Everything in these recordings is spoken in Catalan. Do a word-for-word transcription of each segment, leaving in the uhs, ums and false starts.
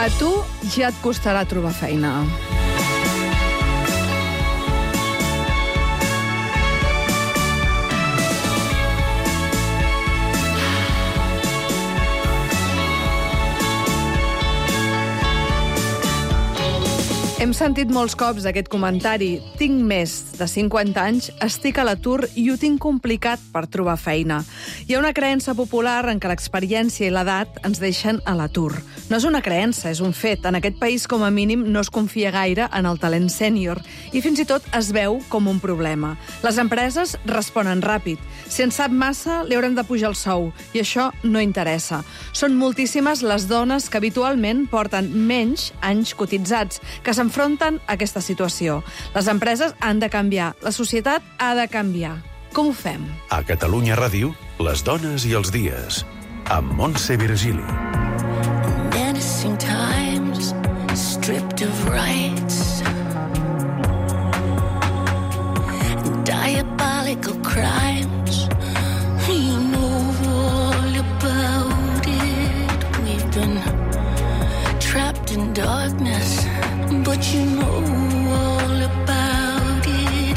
A tu ja et costarà trobar feina. Hem sentit molts cops aquest comentari. Tinc més de cinquanta anys, estic a l'atur i ho tinc complicat per trobar feina. Hi ha una creença popular en què l'experiència i l'edat ens deixen a l'atur. No és una creença, és un fet. En aquest país, com a mínim, no es confia gaire en el talent sènior i fins i tot es veu com un problema. Les empreses responen ràpid. Si en sap massa, li haurem de pujar el sou i això no interessa. Són moltíssimes les dones que habitualment porten menys anys cotitzats, que s'enfronten a aquesta situació. Les empreses han de canviar, la societat ha de canviar. Com ho fem? A Catalunya Ràdio, les dones i els dies, amb Montse Virgili. Menacing times, stripped of rights, diabolical crimes, you know all about it. We've been trapped in darkness, but you know all about it.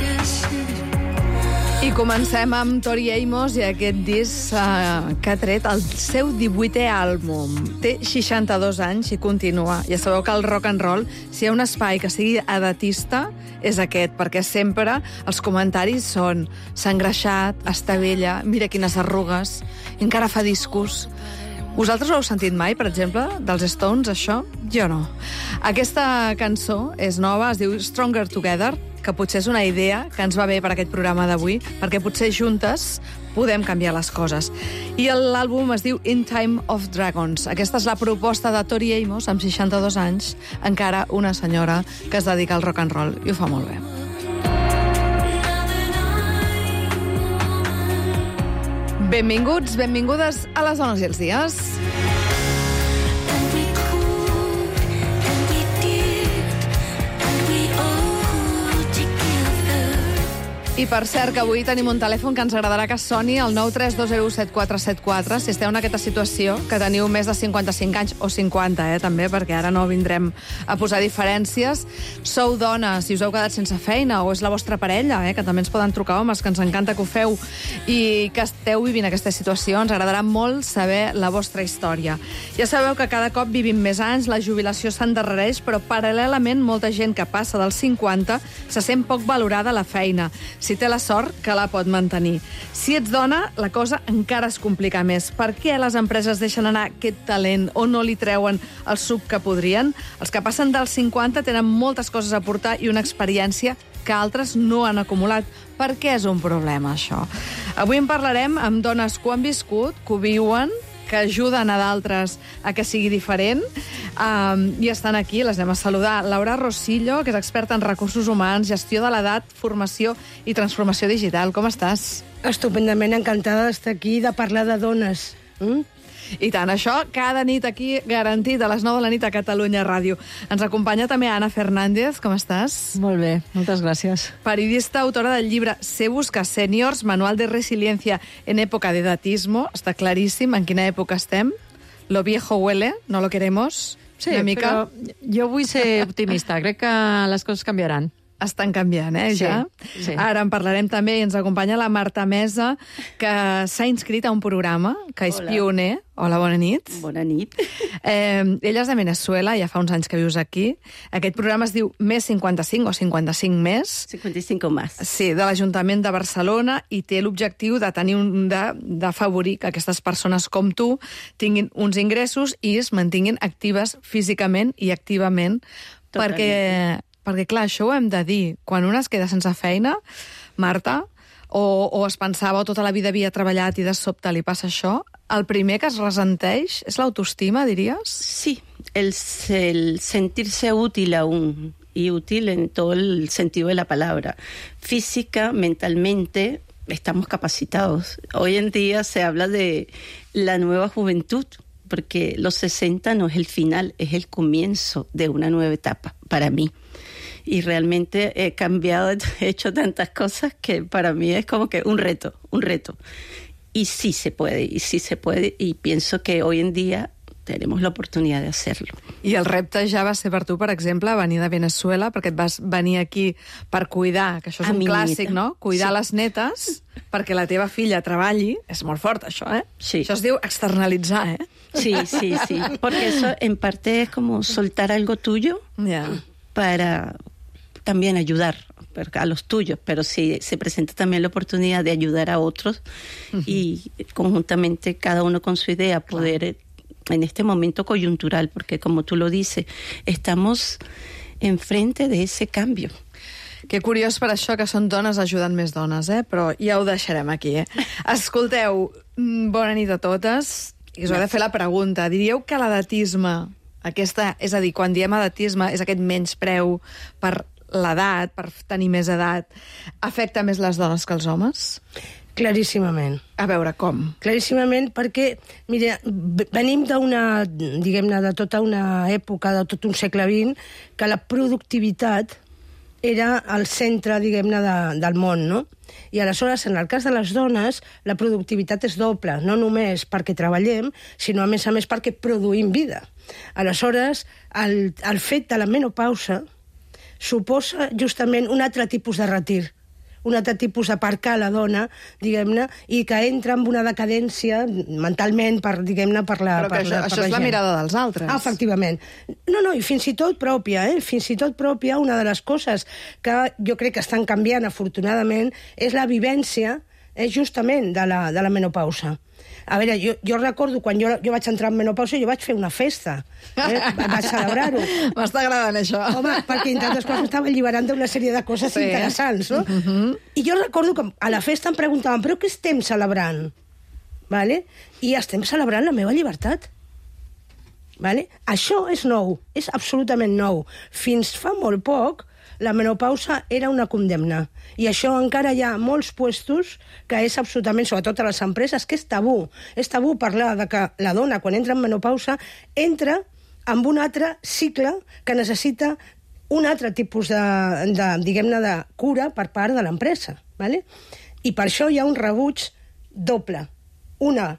I comencem amb Tori Amos i aquest disc uh, que ha tret el seu divuitè àlbum. Té seixanta-dos anys i continua. Ja sabeu que el rock and roll, si hi ha un espai que sigui edatista, és aquest, perquè sempre els comentaris són s'ha engreixat, està vella, mira quines arrugues, encara fa discos. Vosaltres ho heu sentit mai, per exemple, dels Stones, això? Jo no. Aquesta cançó és nova, es diu Stronger Together, que potser és una idea que ens va bé per aquest programa d'avui, perquè potser juntes podem canviar les coses. I l'àlbum es diu In Time of Dragons. Aquesta és la proposta de Tori Amos, amb seixanta-dos anys, encara una senyora que es dedica al rock and roll, i ho fa molt bé. Benvinguts, benvingudes a les dones i els dies. I per cert, que avui tenim un telèfon que ens agradarà que soni, el nou tres dos zero set quatre set quatre, si esteu en aquesta situació, que teniu més de cinquanta-cinc anys, o cinquanta, eh, també, perquè ara no vindrem a posar diferències. Sou dones, si us heu quedat sense feina, o és la vostra parella, eh, que també ens poden trucar homes, que ens encanta que ho feu, i que esteu vivint aquesta situació, ens agradarà molt saber la vostra història. Ja sabeu que cada cop vivim més anys, la jubilació s'endarrereix, però paral·lelament molta gent que passa dels cinquanta se sent poc valorada a la feina. Si té la sort, que la pot mantenir. Si ets dona, la cosa encara es complica més. Per què les empreses deixen anar aquest talent o no li treuen el suc que podrien? Els que passen dels cinquanta tenen moltes coses a portar i una experiència que altres no han acumulat. Per què és un problema, això? Avui en parlarem amb dones que ho han viscut, que ho viuen, que ajuden a d'altres a que sigui diferent. Um, I estan aquí, les anem a saludar. Laura Rosillo, que és experta en recursos humans, gestió de l'edat, formació i transformació digital. Com estàs? Estupendament, encantada d'estar aquí, de parlar de dones. Mm? I tant, això cada nit aquí, garantit, a les nou de la nit a Catalunya Ràdio. Ens acompanya també Ana Fernández, com estàs? Molt bé, moltes gràcies. Periodista, autora del llibre Sé buscar sèniors, manual de resiliencia en època de edatismo. Està claríssim en quina època estem. Lo viejo huele, no lo queremos. Sí, una mica... però jo vull ser optimista, crec que les coses canviaran. Estan canviant, eh, sí, ja? Sí. Ara en parlarem també i ens acompanya la Marta Mesa, que s'ha inscrit a un programa, que és Hola. pioner. Hola, bona nit. Bona nit. Eh, ella és de Venezuela, ja fa uns anys que vius aquí. Aquest programa es diu Més cinquanta-cinc o cinquanta-cinc més. cinquanta-cinc o més. Sí, de l'Ajuntament de Barcelona, i té l'objectiu de tenir un, de, d'afavorir que aquestes persones com tu tinguin uns ingressos i es mantinguin actives físicament i activament. Totalment. Perquè, perquè, clar, això ho hem de dir. Quan una es queda sense feina, Marta, o, o es pensava o tota la vida havia treballat i de sobte li passa això, el primer que es ressenteix és l'autoestima, diries? Sí, el, el sentirse útil aún, y útil en todo el sentido de la palabra. Física, mentalmente, estamos capacitados. Hoy en día se habla de la nueva juventud, porque los sesenta no es el final, es el comienzo de una nueva etapa para mí. Y realmente he cambiado, he hecho tantas cosas que para mí es como que un reto, un reto. Y sí se puede, y sí se puede, y pienso que hoy en día tenemos la oportunidad de hacerlo. I el repte ja va ser per tu, per exemple, venir de Venezuela, perquè et vas venir aquí per cuidar, que això és A un mi clàssic, nieta. no? Cuidar Sí. les netes perquè la teva filla treballi. És molt fort, això, eh? Sí. Això es diu externalitzar, eh? Sí, sí, sí. Porque eso en parte es como soltar algo tuyo Ja. para también ayudar a los tuyos, pero sí se presenta también la oportunidad de ayudar a otros uh-huh. y conjuntamente cada uno con su idea poder claro. en este momento coyuntural, porque como tú lo dices, estamos enfrente de ese cambio. Que curiós per això que són dones ajudant més dones, eh? Però ja ho deixarem aquí, eh? Escolteu, bona nit a totes. I us he de fer la pregunta. Diríeu que l'edatisme, aquesta, és a dir, quan diem edatisme, és aquest menyspreu per l'edat, per tenir més edat, afecta més les dones que els homes? Claríssimament. A veure, com? Claríssimament perquè, mira, venim d'una, diguem-ne, de tota una època, de tot un segle vint, que la productivitat era el centre, diguem-ne, de, del món, no? I aleshores, en el cas de les dones, la productivitat és doble, no només perquè treballem, sinó a més a més perquè produïm vida. Aleshores, el, el fet de la menopausa suposa justament un altre tipus de retir, un altre tipus d'aparcar la dona, diguem-ne, i que entra en una decadència mentalment, per, diguem-ne, per la Però que per això, la, per això la és la gent. mirada dels altres. Ah, efectivament. No, no, i fins i tot pròpia, eh? Fins i tot pròpia, una de les coses que jo crec que estan canviant, afortunadament, és la vivència, eh, justament, de la, de la menopausa. A veure, jo, jo recordo quan jo, jo vaig entrar en menopausa, jo vaig fer una festa. Eh? Vaig celebrar-ho. M'està agradant, això. Home, perquè entre altres coses estava alliberant d'una sèrie de coses Sí. interessants, no? Mhm. I jo recordo que a la festa em preguntaven, però què estem celebrant? Vale? I estem celebrant la meva llibertat. Vale? Això és nou, és absolutament nou. Fins fa molt poc, la menopausa era una condemna. I això encara hi ha molts puestos que és absolutament, sobretot a les empreses, que és tabú. És tabú parlar de que la dona, quan entra en menopausa, entra amb un altre cicle que necessita un altre tipus de, de diguem-ne, de cura per part de l'empresa. Vale? I per això hi ha un rebuig doble. Una,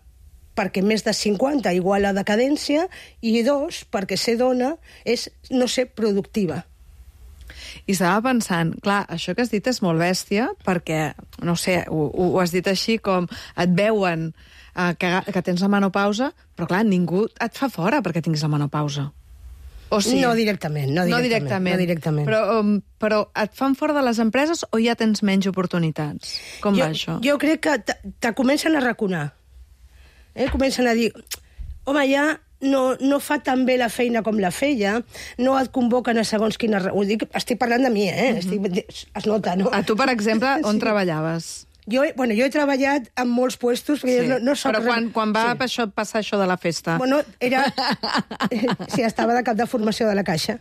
perquè més de cinquanta igual a decadència, i dos, perquè ser dona és no ser productiva. I estava pensant, clar, això que has dit és molt bèstia, perquè, no sé, ho, ho has dit així com et veuen eh, que, que tens la menopausa, però clar, ningú et fa fora perquè tinguis la menopausa. O sí? No directament, no directament. No directament. No directament. Però, um, però et fan fora de les empreses o ja tens menys oportunitats? Com jo, va això? Jo crec que te, te comencen a raconar. Eh? Comencen a dir, home, ja no, no fa tan bé la feina com la feia, no et convoquen a segons quina... Ho dic, estic parlant de mi, eh? Mm-hmm. Estic, es nota, no? A tu, per exemple, on Sí. treballaves? Jo, bueno, jo he treballat en molts puestos, perquè Sí. no, no soc... Però quan, quan va Sí. això, passar això de la festa? Bueno, era... sí, estava de cap de formació de la Caixa.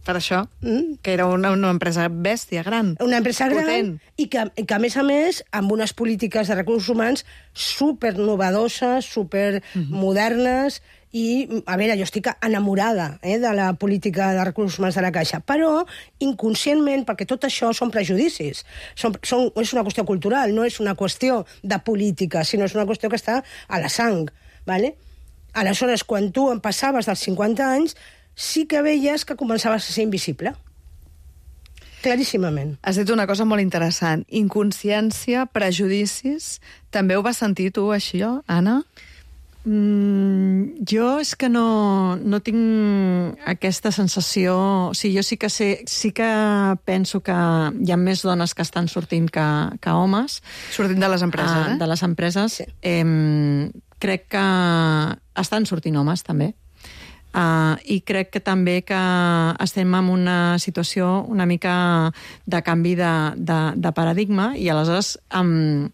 Per això? Mm. Que era una, una empresa bèstia, gran. Una empresa gran Potent. i que, i que, a més a més, amb unes polítiques de recursos humans super novedoses, super modernes, i, a veure, jo estic enamorada eh, de la política de recursos humans de la Caixa, però inconscientment, perquè tot això són prejudicis, són, són, és una qüestió cultural, no és una qüestió de política, sinó és una qüestió que està a la sang, ¿vale? Aleshores, quan tu em passaves dels cinquanta anys, sí que veies que començaves a ser invisible. Claríssimament. Has dit una cosa molt interessant. Inconsciència, prejudicis... També ho vas sentir tu, així, Anna? Mm, jo és que no, no tinc aquesta sensació... O sigui, jo sí que, sé, sí que penso que hi ha més dones que estan sortint que, que homes. Sortint de les empreses, eh? eh? De les empreses. Sí. Eh, crec que estan sortint homes, també. Uh, I crec que també que estem en una situació una mica de canvi de, de, de paradigma i aleshores um,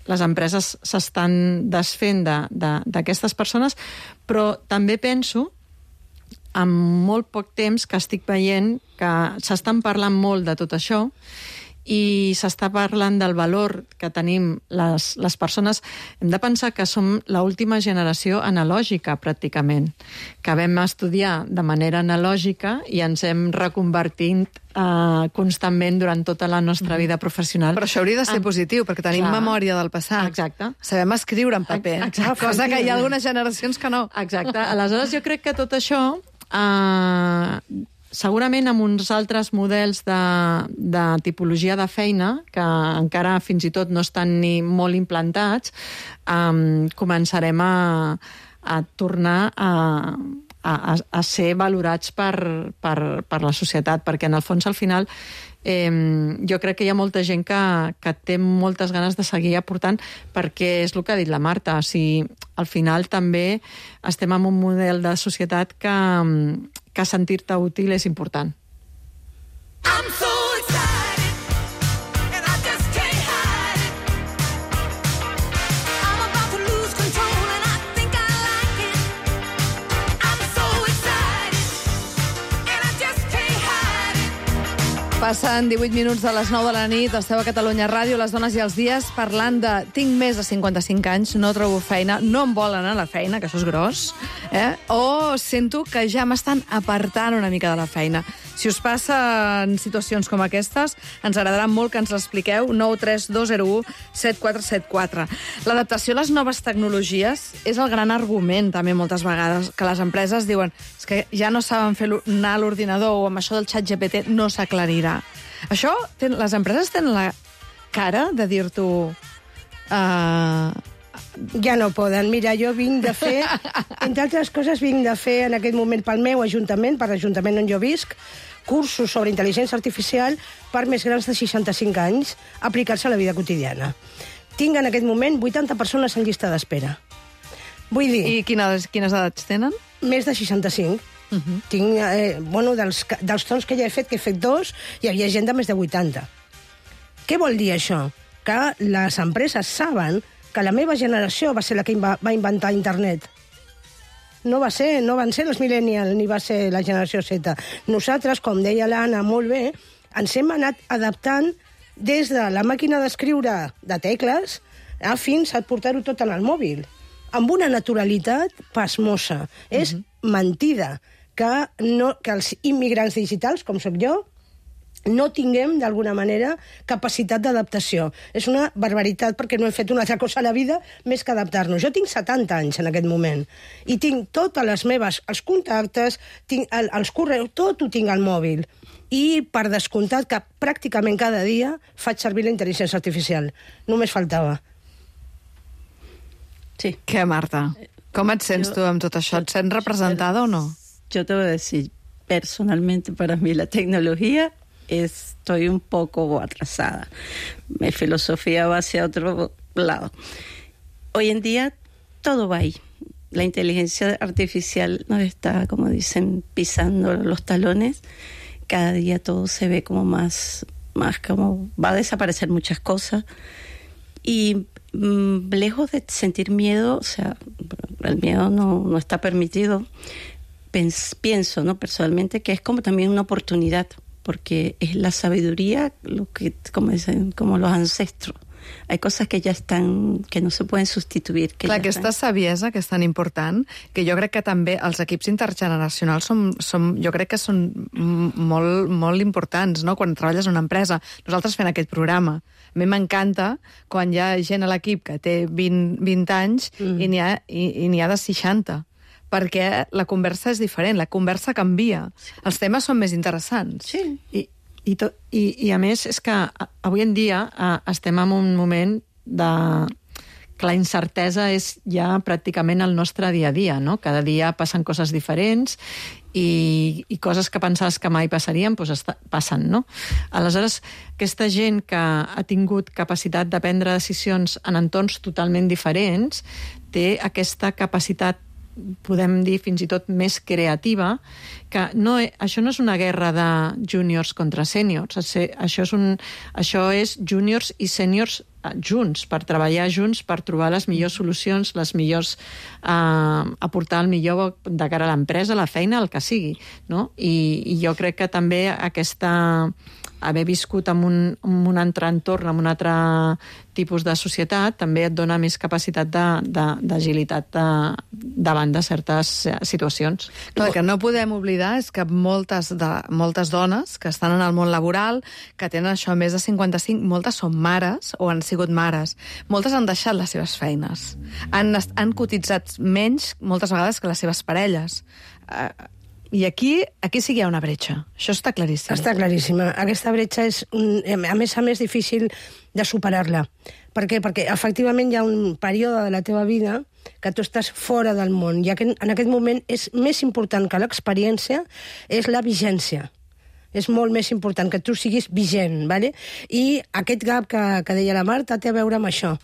les empreses s'estan desfent d'aquestes de, de, persones, però també penso en molt poc temps que estic veient que s'estan parlant molt de tot això i s'està parlant del valor que tenim les, les persones, hem de pensar que som l'última generació analògica, pràcticament, que vam estudiar de manera analògica i ens hem reconvertit uh, constantment durant tota la nostra vida professional. Però això hauria de ser Ah, positiu, perquè tenim clar. memòria del passat. Exacte. Sabem escriure en paper, Exacte. cosa que hi ha algunes generacions que no. Exacte. Aleshores, jo crec que tot això... Uh, segurament amb uns altres models de, de tipologia de feina, que encara fins i tot no estan ni molt implantats, um, començarem a, a tornar a, a, a ser valorats per, per, per la societat, perquè en el fons, al final, eh, jo crec que hi ha molta gent que, que té moltes ganes de seguir aportant, perquè és el que ha dit la Marta, o sigui, al final també estem en un model de societat que que sentir-te útil és important. I'm so excited, and I just can't hide it. I'm about to lose control, and I think I like it. I'm so excited, and I just can't hide it. Passen divuit minuts de les nou de la nit, esteu a Catalunya Ràdio, les dones i els dies, parlant de tinc més de cinquanta-cinc anys, no trobo feina, no em volen a la feina, que això és gros, eh? o sento que ja m'estan apartant una mica de la feina. Si us passen situacions com aquestes, ens agradarà molt que ens l'expliqueu. Nou tres dos zero u set quatre set quatre. L'adaptació a les noves tecnologies és el gran argument, també, moltes vegades, que les empreses diuen és que ja no saben fer anar a l'ordinador o amb això del xat G P T no s'aclarirà. Això, ten, les empreses tenen la cara de dir-t'ho... Uh, Ja no poden. Mira, jo vinc de fer, entre altres coses, vinc de fer en aquest moment pel meu ajuntament, per l'Ajuntament on jo visc, cursos sobre intel·ligència artificial per més grans de seixanta-cinc anys, aplicar-se a la vida quotidiana. Tinc en aquest moment vuitanta persones en llista d'espera. Vull dir... I quines, quines edats tenen? Més de seixanta-cinc. Uh -huh. Tinc, eh, bueno, dels, dels tons que ja he fet, que he fet dos, hi havia gent de més de vuitanta. Què vol dir això? Que les empreses saben que la meva generació va ser la que va inventar internet. No va ser, no van ser els millennials, ni va ser la generació Z. Nosaltres, com deia l'Anna molt bé, ens hem anat adaptant des de la màquina d'escriure de tecles a fins a portar-ho tot en el mòbil, amb una naturalitat pasmosa. Uh-huh. És mentida que, no, que els immigrants digitals, com sóc jo, no tinguem, d'alguna manera, capacitat d'adaptació. És una barbaritat, perquè no hem fet una altra cosa a la vida més que adaptar-nos. Jo tinc setanta anys en aquest moment, i tinc totes les meves, els contactes, tinc el, els correus, tot ho tinc al mòbil. I, per descomptat, que pràcticament cada dia faig servir la intel·ligència artificial. Només faltava. Sí. Què, Marta? Com et sents Yo, tu amb tot això? Et sents representada o no? Yo te voy a decir, personalmente para mí la tecnología estoy un poco atrasada. Mi filosofía va hacia otro lado. Hoy en día todo va ahí. La inteligencia artificial nos está, como dicen, pisando los talones. Cada día todo se ve como más, más como va a desaparecer muchas cosas. Y mmm, lejos de sentir miedo, o sea, el miedo no, no está permitido, Pens, pienso, ¿no? Personalmente, que es como también una oportunidad, porque es la sabiduría, lo que, como dicen, como los ancestros. Hay cosas que ja estan, que no se pueden substituir. Que Clar, ja aquesta estan. saviesa que és tan important, que jo crec que també els equips intergeneracionals som, som, jo crec que són molt, molt importants, no?, quan treballes en una empresa. Nosaltres fent aquest programa, a mi m'encanta quan hi ha gent a l'equip que té vint, vint anys mm. i n'hi ha, i, i n'hi ha de seixanta, perquè la conversa és diferent, la conversa canvia, els temes són més interessants. Sí. I, i, to, i, I a més és que avui en dia eh, estem en un moment de que la incertesa és ja pràcticament el nostre dia a dia, no? Cada dia passen coses diferents i, i coses que pensaves que mai passarien, doncs està, passen, no? Aleshores, aquesta gent que ha tingut capacitat de prendre decisions en entorns totalment diferents té aquesta capacitat, podem dir fins i tot més creativa, que no, això no és una guerra de júniors contra sèniors, això és, un, això és júniors i sèniors junts, per treballar junts, per trobar les millors solucions, les millors, eh, aportar el millor de cara a l'empresa, la feina, el que sigui, no? I, i jo crec que també aquesta haver viscut en un, en un altre entorn, en un altre tipus de societat, també et dona més capacitat d'agilitat de, de, davant de certes situacions. Clar, el que no podem oblidar és que moltes, de, moltes dones que estan en el món laboral, que tenen això més de cinquanta-cinc, moltes són mares o han sigut mares. Moltes han deixat les seves feines. Han, han cotitzat menys, moltes vegades, que les seves parelles. Uh, I aquí, aquí sí que hi ha una bretxa. Això està claríssim. Està claríssima. Aquesta bretxa és, un, a més a més, difícil de superar-la. Per què? Perquè efectivament hi ha un període de la teva vida que tu estàs fora del món, i en aquest moment és més important que l'experiència, és la vigència. És molt més important que tu siguis vigent, ¿vale? I aquest gap que, que deia la Marta té a veure amb això.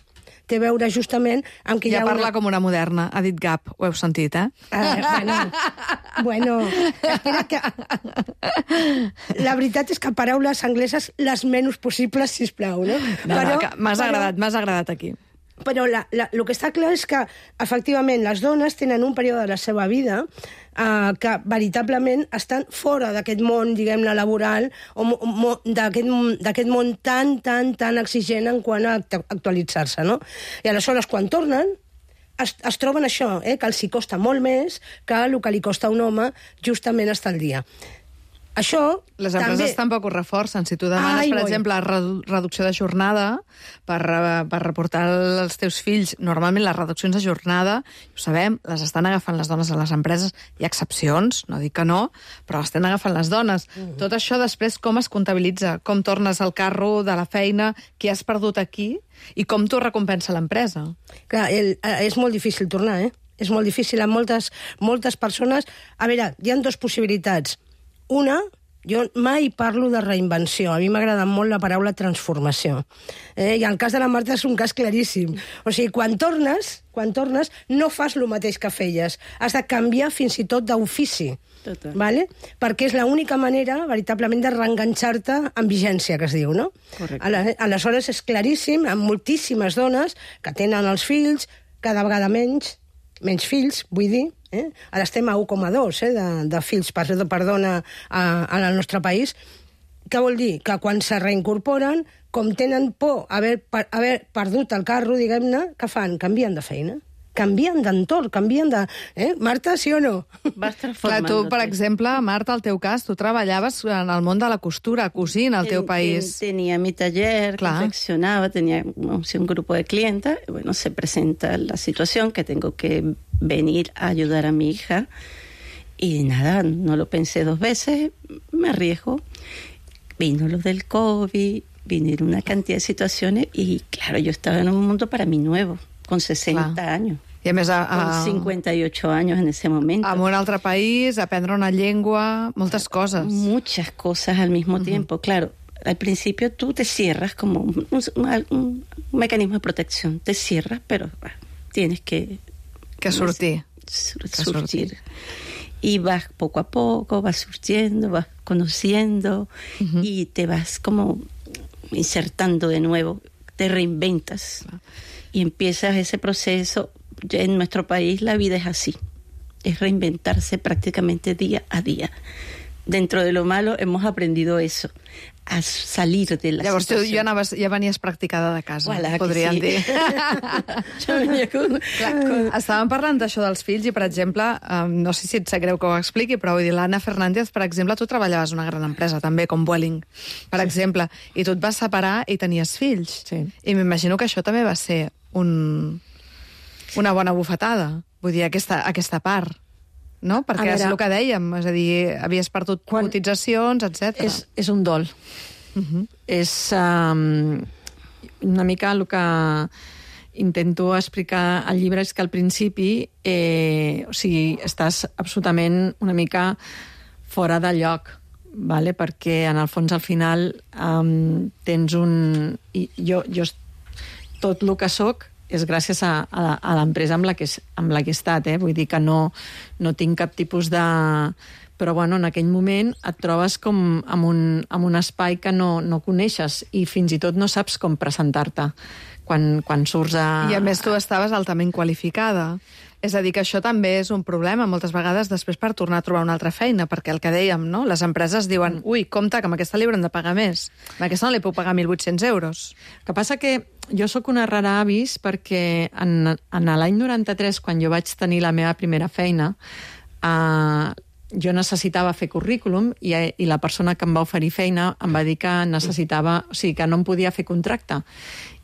Té a veure justament amb que ja hi ha parla una... com una moderna, ha dit gap, ho heu sentit, eh? Ah, bueno, bueno, espera que... La veritat és que paraules angleses les menys possibles, sisplau, no? No, però, no, m'has agradat, m'has agradat aquí. Però la, la, el que està clar és que, efectivament, les dones tenen un període de la seva vida eh, que veritablement estan fora d'aquest món, diguem-ne, laboral, o mo, d'aquest món tan, tan, tan exigent en quant a actualitzar-se, no? I aleshores, quan tornen, es, es troben això, eh, que els hi costa molt més que el que li costa a un home justament estar al dia. Això les empreses també... tampoc ho reforcen. Si tu demanes, Ai, per oi. exemple, redu reducció de jornada per, per reportar els teus fills, normalment les reduccions de jornada, ho sabem, les estan agafant les dones a les empreses. Hi ha excepcions, no dic que no, però les estan agafant les dones. Mm. Tot això després com es comptabilitza? Com tornes al carro de la feina, qui has perdut aquí, i com t'ho recompensa l'empresa? Clar, el, és molt difícil tornar, eh? És molt difícil a moltes, moltes persones. A veure, hi ha dues possibilitats. Una, jo mai parlo de reinvenció. A mi m'agrada molt la paraula transformació. Eh? I el cas de la Marta és un cas claríssim. O sigui, quan tornes, quan tornes, no fas el mateix que feies. Has de canviar fins i tot d'ofici. Total. Vale? Perquè és l'única manera, veritablement, de reenganxar-te amb vigència, que es diu, no? Correcte. Aleshores, és claríssim, amb moltíssimes dones que tenen els fills, cada vegada menys, menys fills, vull dir, eh? Ara estem a un coma dos eh, de, de fills per, per dona a, al nostre país. Què vol dir? Que quan se reincorporen, com tenen por haver, per, haver perdut el carro, diguem-ne, què fan? Canvien de feina. Canvien d'entorn, canvien de... Eh? Marta, sí o no? Vas Clar, transformant-te. tu, per exemple, Marta, al teu cas, tu treballaves en el món de la costura, cosint al teu Ten- país. ten- Tenía mi taller, Claro. confeccionaba, tenía no sé, un grupo de clientes. Y bueno, se presenta la situación que tengo que venir a ayudar a mi hija. Y nada, no lo pensé dos veces, me arriesgo. Vino lo del COVID, vinieron una cantidad de situaciones y claro, yo estaba en un mundo para mí nuevo, con sesenta Clar. años. I a més, a, a, Con cincuenta y ocho años en ese momento. en un altre país, aprendre una llengua, moltes coses. Muchas cosas al mismo uh-huh. tiempo. Claro, al principio tú te cierras como un, un, un mecanismo de protección. Te cierras, pero bueno, tienes que... Que sortir. Sur, Que surtir. sortir. Y vas poco a poco, vas surtiendo, vas conociendo uh-huh. y te vas como insertando de nuevo, te reinventas uh-huh. y empiezas ese proceso. En nuestro país la vida es así, es reinventarse prácticamente día a día. Dentro de lo malo hemos aprendido eso, a salir de la Llavors, tu situació. ja, anaves, ja venies practicada de casa, Voilà, que podríem sí. dir. Jo venia con... Clar, estàvem parlant d'això dels fills i, per exemple, um, no sé si et sap greu que ho expliqui, però vull dir, l'Anna Fernández, per exemple, tu treballaves en una gran empresa, també, com Vueling, per sí. exemple, i tu et vas separar i tenies fills. Sí. I m'imagino que això també va ser un, una bona bufetada, vull dir, aquesta, aquesta part. No? Perquè A és veure, el que dèiem, és a dir, havies perdut quan- cotitzacions, etcètera. És, és un dol. Uh-huh. És um, una mica el que intento explicar al llibre és que al principi eh, o sigui, estàs absolutament una mica fora de lloc, vale? Perquè en el fons al final um, tens un... I jo, jo tot el que sóc és gràcies a, a, a l'empresa amb, la que, amb la que he estat, eh? Vull dir que no, no tinc cap tipus de... Però, bueno, en aquell moment et trobes com amb un, amb un espai que no, no coneixes i fins i tot no saps com presentar-te quan, quan surts a... I a més tu estaves altament qualificada. És a dir, que això també és un problema moltes vegades després per tornar a trobar una altra feina, perquè el que dèiem, no? Les empreses diuen, ui, compte, que amb aquesta li hauran de pagar més. Amb aquesta no li puc pagar mil vuit-cents euros. El que passa que jo sóc una rara avis perquè en, en l'any noranta-tres, quan jo vaig tenir la meva primera feina, eh, jo necessitava fer currículum i, i la persona que em va oferir feina em va dir que necessitava, o sigui, que no em podia fer contracte.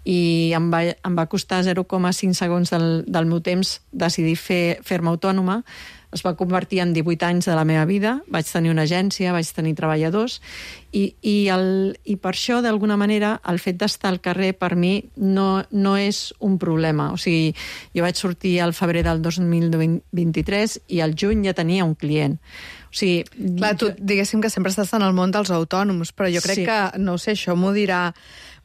I em va, em va costar zero coma cinc segons del, del meu temps decidir fer, fer-me autònoma. Es va convertir en divuit anys de la meva vida, vaig tenir una agència, vaig tenir treballadors, i, i, el, i per això, d'alguna manera, el fet d'estar al carrer per mi no, no és un problema. O sigui, jo vaig sortir al febrer del dos mil vint-i-tres i al juny ja tenia un client. O sigui, Clar, tu diguéssim que sempre estàs en el món dels autònoms, però jo crec Sí. que, no ho sé, això m'ho dirà,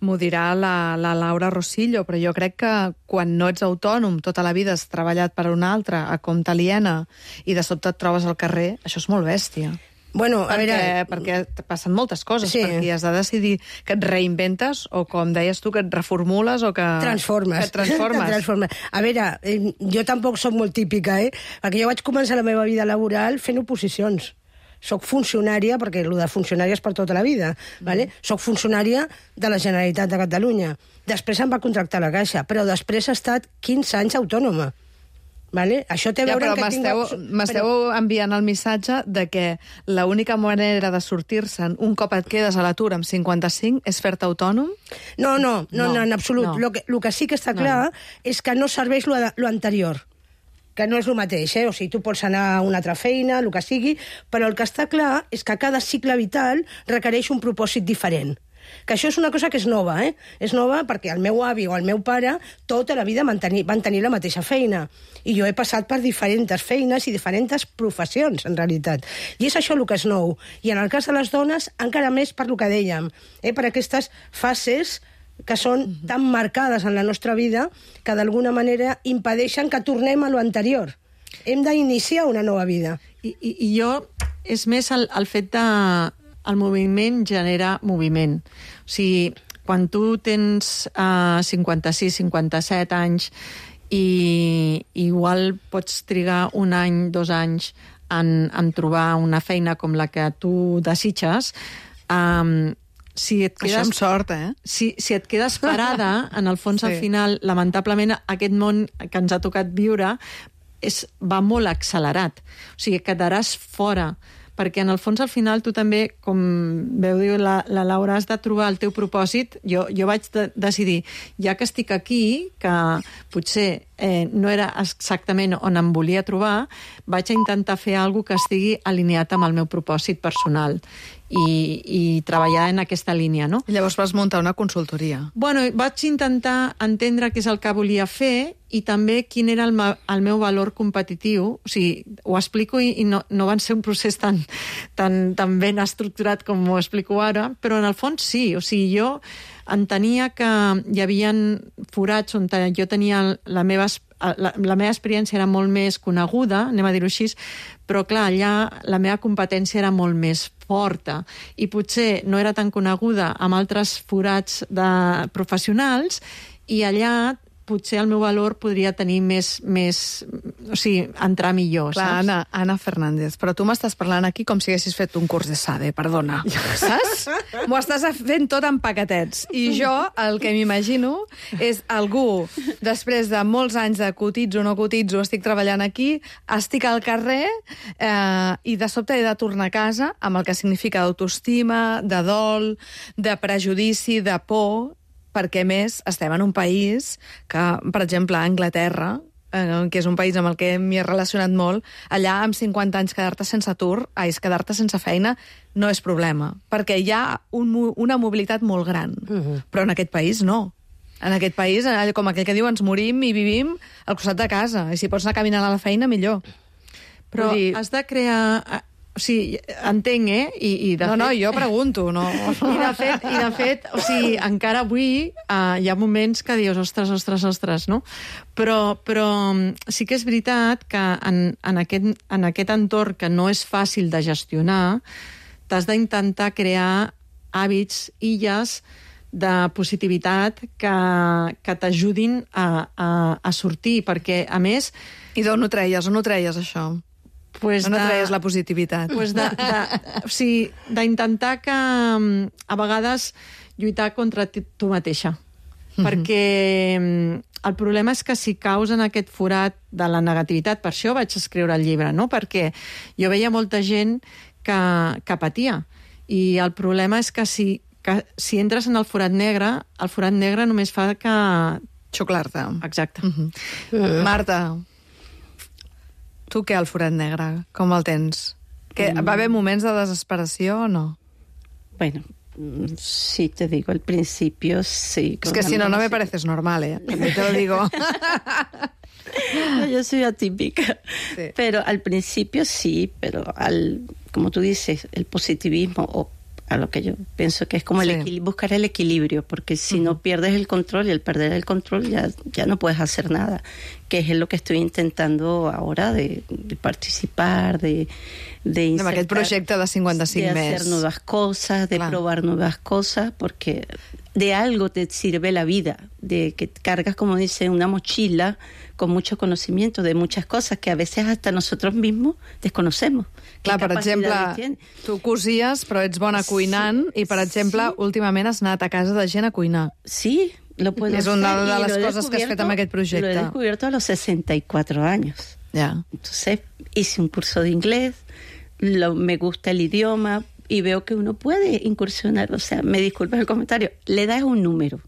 m'ho dirà la, la Laura Rosillo, però jo crec que quan no ets autònom, tota la vida has treballat per un altre, a compte aliena, i de sobte et trobes al carrer, això és molt bèstia. Bueno, a Perquè, veure... perquè te passen moltes coses, Sí. perquè has de decidir que et reinventes, o com deies tu, que et reformules, o que... Transformes. Que et transformes. Te transformes. A veure, eh, jo tampoc sóc molt típica, eh? Perquè jo vaig començar la meva vida laboral fent oposicions. Soc funcionària, perquè el de funcionària és per tota la vida, ¿vale? Soc funcionària de la Generalitat de Catalunya. Després em va contractar la Caixa, però després he estat quinze anys autònoma. ¿Vale? Això té a Ja, veure però que m'esteu tinc... m'esteu enviant el missatge de que l'única manera de sortir-se'n un cop et quedes a l'atur amb cinquanta-cinc és fer-te autònom? No, no, no, No, no, en absolut. no. Lo que, lo que sí que està No, clar és que no serveix lo, lo anterior, que no és el mateix, eh? O sigui, tu pots anar a una altra feina, el que sigui, però el que està clar és que cada cicle vital requereix un propòsit diferent. Que això és una cosa que és nova, eh? És nova perquè el meu avi o el meu pare tota la vida van tenir, van tenir la mateixa feina. I jo he passat per diferents feines i diferents professions, en realitat. I és això el que és nou. I en el cas de les dones, encara més per lo que dèiem, eh? Per aquestes fases que són tan marcades en la nostra vida que d'alguna manera impedeixen que tornem a lo anterior. Hem d'iniciar una nova vida. I, i, i jo, és més el, el fet de... El moviment genera moviment. O sigui, quan tu tens uh, cinquanta-sis, cinquanta-set anys i igual pots trigar un any, dos anys en, en trobar una feina com la que tu desitges, um, si et quedes... Això amb sort, eh? Si, si et quedes parada, en el fons, Sí. sí. al final, lamentablement, aquest món que ens ha tocat viure és, va molt accelerat. O sigui, quedaràs fora, perquè en el fons, al final, tu també, com veu dir la, la Laura, has de trobar el teu propòsit. Jo, jo vaig de, decidir, ja que estic aquí, que potser eh, no era exactament on em volia trobar, vaig a intentar fer alguna que estigui alineat amb el meu propòsit personal i, i treballar en aquesta línia, no? I llavors vas muntar una consultoria. Bueno, vaig intentar entendre què és el que volia fer i també quin era el, ma, el meu valor competitiu. O sigui, ho explico i, i no, no van ser un procés tan, tan, tan ben estructurat com ho explico ara, però en el fons sí. O sigui, jo entenia que hi havia forats on jo tenia la meva, la, la meva experiència era molt més coneguda, anem a dir-ho així, però clar, allà la meva competència era molt més forta i potser no era tan coneguda amb altres forats de professionals i allà potser el meu valor podria tenir més, més o sigui, entrar millor, Clar, saps? Anna, Anna Fernández, però tu m'estàs parlant aquí com si haguessis fet un curs de SADE, perdona. Saps? M'ho estàs fent tot en paquetets. I jo el que m'imagino és algú, després de molts anys de cotitzo, no cotitzo, estic treballant aquí, estic al carrer eh, i de sobte he de tornar a casa amb el que significa d'autoestima, de dol, de prejudici, de por, perquè, més, estem en un país que, per exemple, a Anglaterra, eh, que és un país amb el que m'hi he relacionat molt, allà amb cinquanta anys quedar-te sense atur, ai, quedar-te sense feina, no és problema, perquè hi ha un, una mobilitat molt gran. Uh-huh. Però en aquest país no. En aquest país, com aquell que diu, ens morim i vivim al costat de casa. I si pots anar caminant a la feina, millor. Però Vull dir... has de crear... O sigui, entenc, eh? I, i de No, fet... no, jo pregunto, no. I de fet, i de fet o sigui, encara avui uh, hi ha moments que dius, ostres, ostres, ostres, no? Però, però sí que és veritat que en, en, aquest, en aquest entorn que no és fàcil de gestionar, t'has d'intentar crear hàbits, illes, de positivitat que, que t'ajudin a, a, a sortir, perquè, a més... I d'on ho treies? On ho treies, això? Pues On ho de- treies, la positivitat? Pues de, de, o sigui, d'intentar que mm, a vegades lluitar contra ti- tu mateixa. Mm-hmm. Perquè mm, el problema és que si caus en aquest forat de la negativitat, per això vaig escriure el llibre, no? Perquè jo veia molta gent que, que patia. I el problema és que si, que si entres en el forat negre, el forat negre només fa que... Xuclar-te. Exacte. Mm -hmm. Marta, tu què, el forat negre? Com el tens? Que, va haver moments de desesperació o no? Bueno, mm, sí, te digo, al principio sí. Es que si no, no me pareces normal, ¿eh? También te lo digo. No, yo soy atípica. Sí. Pero al principio sí, pero al, como tú dices, el positivismo, o a lo que yo pienso que es como Sí. el equil- buscar el equilibrio, porque si no pierdes el control, y al perder el control ya, ya no puedes hacer nada, que es lo que estoy intentando ahora de, de participar, de, de Amb aquest insertar- projecte de cinquanta-cinc de més. hacer nuevas cosas, de Claro. probar nuevas cosas, porque de algo te sirve la vida, de que cargas, como dice, una mochila con mucho conocimiento de muchas cosas que a veces hasta nosotros mismos desconocemos. ¿Qué Clar, per exemple, capacidades tiene? tu cosies, però ets bona cuinant, Sí, i, per exemple, sí. últimament has anat a casa de gent a cuinar. Sí, lo puedo Es una hacer, de y las lo he cosas que has fet descubierto- amb aquest projecte. Lo he descubierto a los sesenta y cuatro años. Ja. Entonces hice un curso de inglés, lo, me gusta el idioma y veo que uno puede incursionar. O sea, me disculpas el comentario, le das un número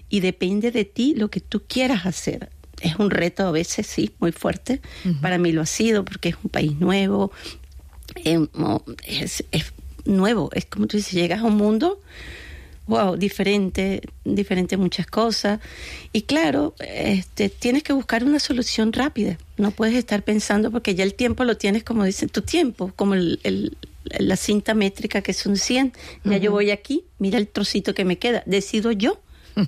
y depende de ti lo que tú quieras hacer. Es un reto a veces, sí, muy fuerte. Uh-huh. Para mí lo ha sido porque es un país nuevo, eh, es, es nuevo. Es como tú dices, llegas a un mundo... Wow, diferente, diferente muchas cosas. Y claro, este, tienes que buscar una solución rápida. No puedes estar pensando porque ya el tiempo lo tienes, como dicen, tu tiempo, como el, el, la cinta métrica que son cien. Ya uh-huh. yo voy aquí, mira el trocito que me queda. Decido yo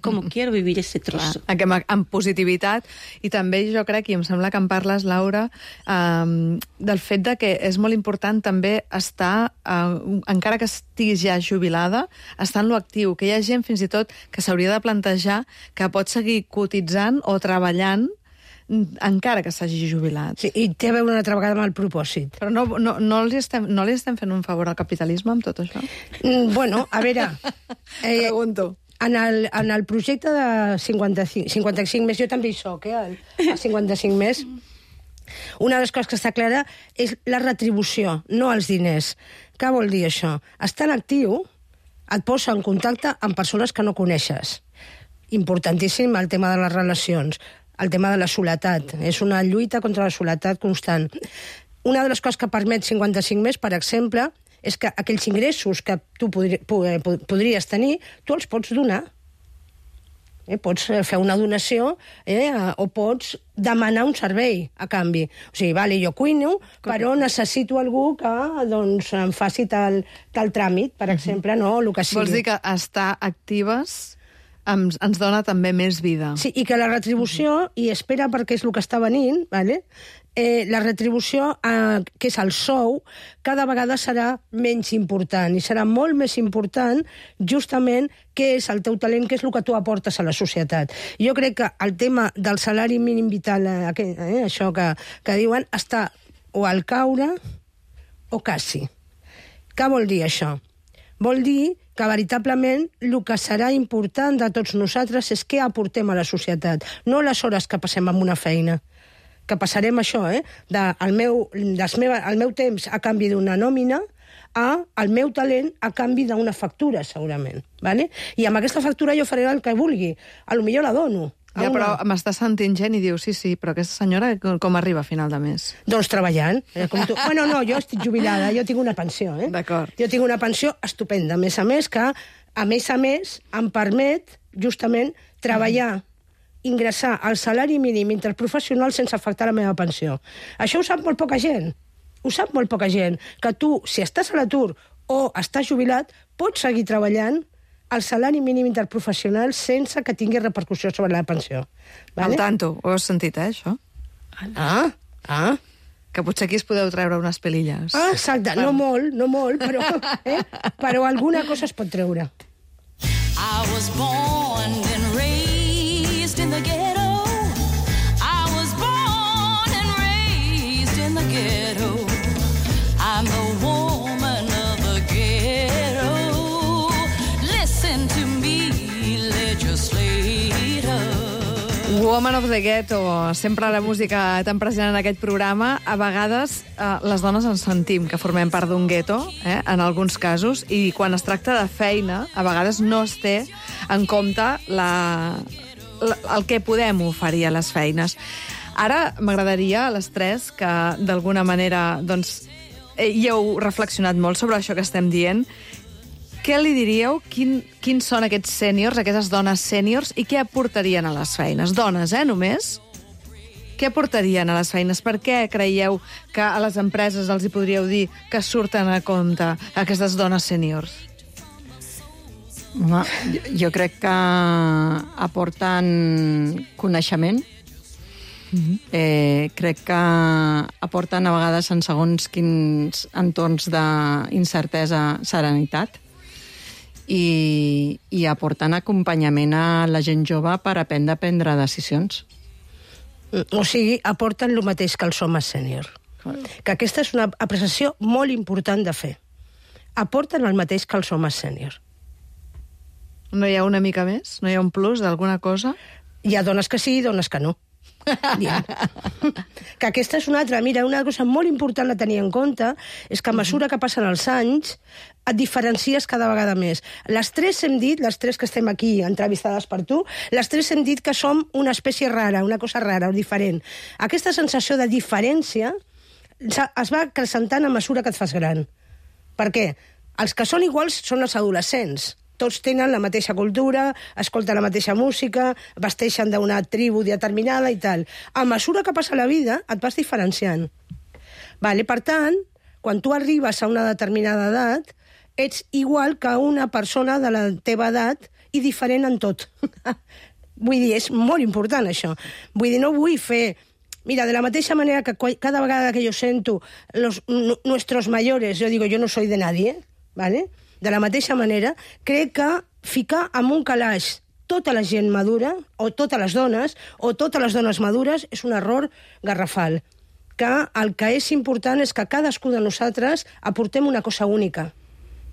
com quiero vivir ese trozo. Clar, amb, amb positivitat. I també jo crec, i em sembla que en parles, Laura, um, del fet de que és molt important també estar, uh, encara que estiguis ja jubilada, estar en lo actiu, que hi ha gent fins i tot que s'hauria de plantejar que pot seguir cotitzant o treballant encara que s'hagi jubilat. Sí, i té a veure una altra vegada amb el propòsit. Però no, no, no, li estem, no li estem fent un favor al capitalisme amb tot això? Mm, bueno, a veure... Eh, Pregunto. En el, en el projecte de cinquanta-cinc, cinquanta-cinc més, jo també hi soc, eh, el, el cinquanta-cinc més, una de les coses que està clara és la retribució, no els diners. Què vol dir això? Estar en actiu et posa en contacte amb persones que no coneixes. Importantíssim el tema de les relacions, el tema de la soledat. És una lluita contra la soledat constant. Una de les coses que permet cinquanta-cinc més, per exemple, és que aquells ingressos que tu podri, podries tenir, tu els pots donar. Eh, pots fer una donació eh, o pots demanar un servei a canvi. O sigui, vale, jo cuino, però necessito algú que doncs, em faci tal, tal tràmit, per exemple, no? El que sigui. Vols dir que estar actives ens, ens dona també més vida. Sí, i que la retribució, i espera perquè és el que està venint, vale? eh, la retribució, eh, que és el sou, cada vegada serà menys important i serà molt més important justament què és el teu talent, què és el que tu aportes a la societat. Jo crec que el tema del salari mínim vital, eh, eh, això que, que diuen, està o al caure o quasi. Què vol dir això? Vol dir que veritablement el que serà important de tots nosaltres és què aportem a la societat, no les hores que passem amb una feina. Que passarem això, eh? De, el, meu, des meva, el meu temps a canvi d'una nòmina a el meu talent a canvi d'una factura, segurament. Vale? I amb aquesta factura jo faré el que vulgui. A lo millor la dono. Ja, però m'està sentint gent i diu, sí, sí, però aquesta senyora com arriba a final de mes? Doncs treballant. Eh, com tu. Bueno, no, jo estic jubilada, jo tinc una pensió. Eh? D'acord. Jo tinc una pensió estupenda, a més a més, que a més a més em permet justament treballar, ingressar al salari mínim interprofessional sense afectar la meva pensió. Això ho sap molt poca gent. Ho sap molt poca gent. Que tu, si estàs a l'atur o estàs jubilat, pots seguir treballant el salari mínim interprofessional sense que tingui repercussió sobre la pensió. Vale? Al tanto, ho has sentit, eh, això? Ah, ah. Que potser aquí es podeu treure unes pelilles. Ah, exacte, no molt, no molt, però, eh? però alguna cosa es pot treure. I was born and raised in the ghetto. I was born and raised in the ghetto. I'm the woman of the ghetto. Listen to me, legislator. Woman of the Ghetto, sempre la música tan present en aquest programa. A vegades eh, les dones ens sentim que formem part d'un gueto, eh, en alguns casos, i quan es tracta de feina, a vegades no es té en compte la, la, el que podem oferir a les feines. Ara m'agradaria a les tres que, d'alguna manera, doncs, eh, hi heu reflexionat molt sobre això que estem dient. Què li diríeu? Quin, quins són aquests sèniors, aquestes dones sèniors, i què aportarien a les feines? Dones, eh, només? Què aportarien a les feines? Per què creieu que a les empreses els hi podríeu dir que surten a compte aquestes dones sèniors? Home, jo, jo crec que aporten coneixement. Mm-hmm. eh, crec que aporten a vegades en segons quins entorns d'incertesa serenitat. I, i aportant acompanyament a la gent jove per aprendre a prendre decisions. O sigui, aporten el mateix que els homes sènior. Que aquesta és una apreciació molt important de fer. Aporten el mateix que els homes sènior. No hi ha una mica més? No hi ha un plus d'alguna cosa? Hi ha dones que sí i dones que no. Que aquesta és una altra. Mira, una cosa molt important a tenir en compte és que a mesura que passen els anys et diferencies cada vegada més. Les tres hem dit, les tres que estem aquí entrevistades per tu, les tres hem dit que som una espècie rara, una cosa rara o diferent. Aquesta sensació de diferència es va acrecentant a mesura que et fas gran. Per què? Els que són iguals són els adolescents. Tots tenen la mateixa cultura, escolten la mateixa música, vesteixen d'una tribu determinada i tal. A mesura que passa la vida, et vas diferenciant. Vale? Per tant, quan tu arribes a una determinada edat, ets igual que una persona de la teva edat i diferent en tot. Vull dir, és molt important això. Vull dir, no vull fer... Mira, de la mateixa manera que cada vegada que jo sento los, nuestros mayores, jo digo, yo no soy de nadie, ¿vale? De la mateixa manera, crec que ficar en un calaix tota la gent madura, o totes les dones, o totes les dones madures, és un error garrafal. Que el que és important és que cadascú de nosaltres aportem una cosa única,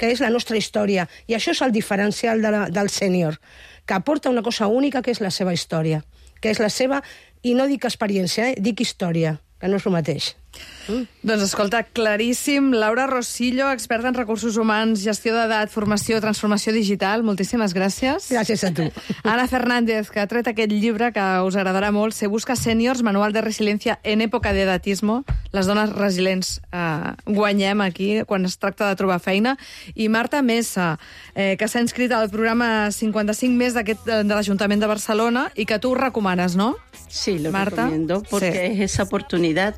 que és la nostra història. I això és el diferencial de la, del sènior, que aporta una cosa única, que és la seva història, que és la seva, i no dic experiència, eh? Dic història, que no és el mateix. Mm. Doncs escolta, claríssim. Laura Rosillo, experta en recursos humans, gestió d'edat, formació, transformació digital. Moltíssimes gràcies. Gràcies a tu. Ana Fernández, que ha tret aquest llibre que us agradarà molt, Se busca sèniors, manual de resiliencia en època d'edatismo. Les dones resilients eh, guanyem aquí quan es tracta de trobar feina. I Marta Mesa, eh, que s'ha inscrit al programa cincuenta-cinc més d'aquest de l'Ajuntament de Barcelona i que tu ho recomanes, no? Sí, lo Marta, recomiendo porque sí. es esa oportunidad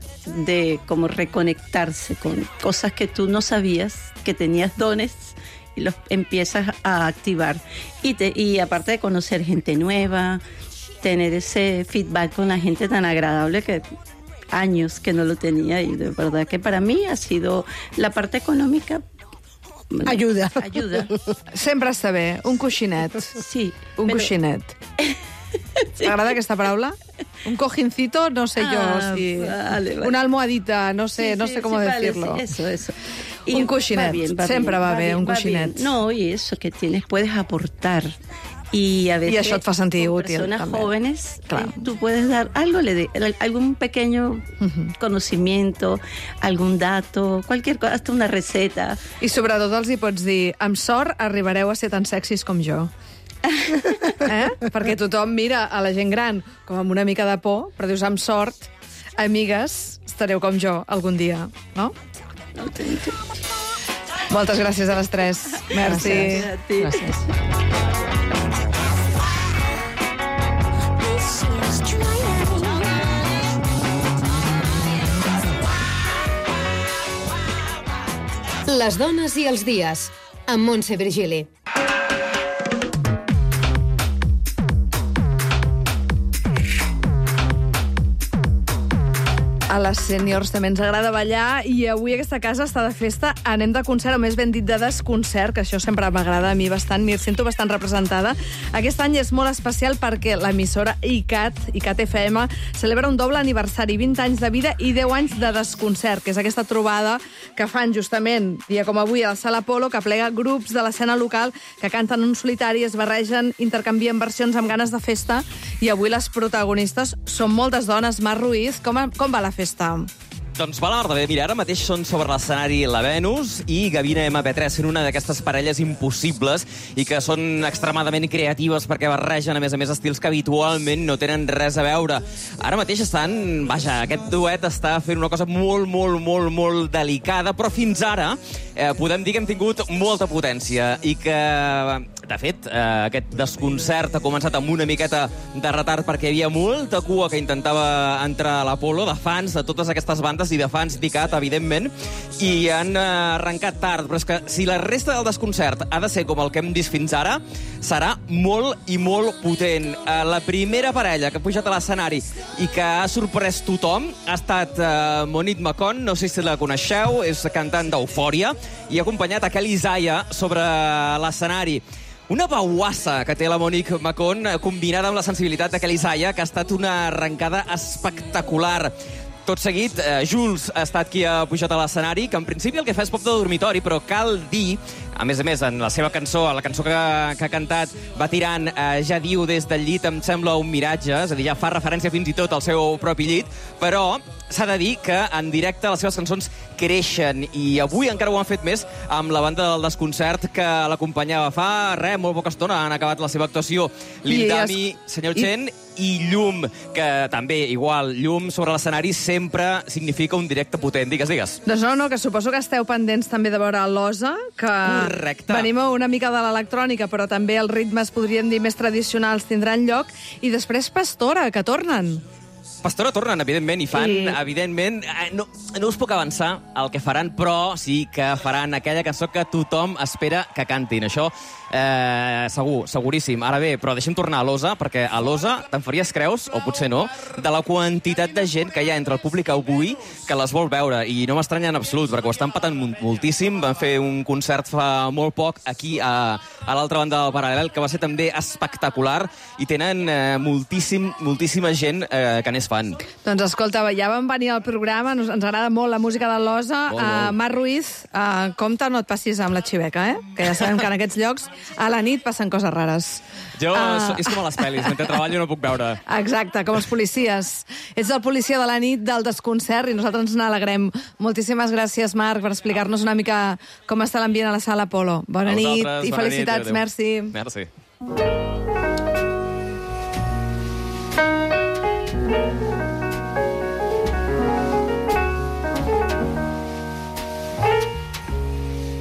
de como reconectarse con cosas que tú no sabías que tenías dones y los empiezas a activar. Y, te, y aparte de conocer gente nueva, tener ese feedback con la gente tan agradable que años que no lo tenía, y de verdad que para mí ha sido la parte econòmica. Ajuda. Ajuda. Sempre està bé. Un coixinet. Sí. Un pero- coixinet. T'agrada aquesta paraula? Un cojincito, no sé yo Ah, si... vale, vale. Una almohadita, no sé, Sí, no sí, sé cómo sí, vale, decirlo. sí, eso, eso. Un coixinet. va bien, va Siempre bien, va bé, bien, un va coixinet. bien. No, y eso que tienes, puedes aportar. Y a veces I això et fa sentir con útil, personas també. jóvenes, Claro. eh, tú puedes dar algo, le de, algún pequeño conocimiento, algún dato, cualquier cosa, hasta una receta. I sobretot els hi pots dir, amb sort arribareu a ser tan sexis com jo. Eh? Perquè tothom mira a la gent gran com amb una mica de por, però dius, amb sort, amigues, estareu com jo algun dia, no? Moltes gràcies a les tres. Merci. Gràcies a ti. Gràcies. Les dones i els dies, amb Montse Virgili. A les sèniors també ens agrada ballar i avui aquesta casa està de festa. Anem de concert, o més ben dit de desconcert, que això sempre m'agrada a mi bastant, m'hi sento bastant representada. Aquest any és molt especial perquè l'emissora I C A T, I C A T F M, celebra un doble aniversari, vint anys de vida i deu anys de desconcert, que és aquesta trobada que fan justament, dia com avui, a la Sala Apolo, que plega grups de l'escena local que canten un solitari, es barregen, intercanvien versions amb ganes de festa, i avui les protagonistes són moltes dones. Mar Ruiz, com, com va la festa? Doncs va la mar de bé. Mira, ara mateix són sobre l'escenari la Venus i Gavina M P tres, sent una d'aquestes parelles impossibles i que són extremadament creatives perquè barregen, a més a més, estils que habitualment no tenen res a veure. Ara mateix estan... Vaja, aquest duet està fent una cosa molt, molt, molt, molt delicada, però fins ara eh, podem dir que hem tingut molta potència i que, de fet, eh, aquest desconcert ha començat amb una miqueta de retard perquè hi havia molta cua que intentava entrar a l'Apolo, de fans de totes aquestes bandes i de fans d'I C A T, evidentment, i han arrencat tard. Però és que si la resta del desconcert ha de ser com el que hem vist fins ara, serà molt i molt potent. La primera parella que ha pujat a l'escenari i que ha sorprès tothom ha estat uh, Monique Macon, no sé si la coneixeu, és cantant d'Eufòria, i ha acompanyat a Kelly Zaya sobre l'escenari. Una bauassa que té la Monique Macon, combinada amb la sensibilitat de Kelly Zaya, que ha estat una arrencada espectacular. Tot seguit, eh, Jules ha estat qui ha pujat a l'escenari, que en principi el que fa és pop de dormitori, però cal dir, a més a més, en la seva cançó, a la cançó que, que ha cantat, va tirant, eh, ja diu des del llit, em sembla un miratge, és a dir, ja fa referència fins i tot al seu propi llit, però s'ha de dir que en directe les seves cançons creixen, i avui encara ho han fet més amb la banda del desconcert que l'acompanyava fa res, molt poca estona, han acabat la seva actuació. Lindami, Senyor Chen i Llum, que també, igual, Llum sobre l'escenari sempre significa un directe potent. Digues, digues. Doncs no, no, que suposo que esteu pendents també de veure l'Osa, que Correcte. Venim una mica de l'electrònica, però també els ritmes, podríem dir, més tradicionals tindran lloc, i després Pastora, que tornen. Pastora tornen, evidentment, i fan, I... evidentment... No, no us puc avançar el que faran, però sí que faran aquella cançó que tothom espera que cantin. Això, eh, segur, seguríssim. Ara bé, però deixem tornar a l'Osa, perquè a l'Osa te'n faries creus, o potser no, de la quantitat de gent que hi ha entre el públic avui que les vol veure, i no m'estranya en absolut, perquè ho estan patant moltíssim. Van fer un concert fa molt poc aquí a, a l'altra banda del Paral·lel, que va ser també espectacular, i tenen eh, moltíssim, moltíssima gent eh, que n'és fan. Doncs escolta, ja vam venir al programa, ens, ens agrada molt la música de l'Osa. Molt, Uh, molt. Mar Ruiz, uh, compte, no et passis amb la xiveca, eh? Que ja sabem que en aquests llocs a la nit passen coses rares. Jo, Ah. és com a les pel·lis, mentre treballo no puc veure. Exacte, com els policies. Ets el policia de la nit del desconcert i nosaltres ens n'alegrem. Moltíssimes gràcies, Marc, per explicar-nos una mica com està l'ambient a la Sala Apolo. Bona A nit vosaltres, i bona felicitats, nit, merci. Merci.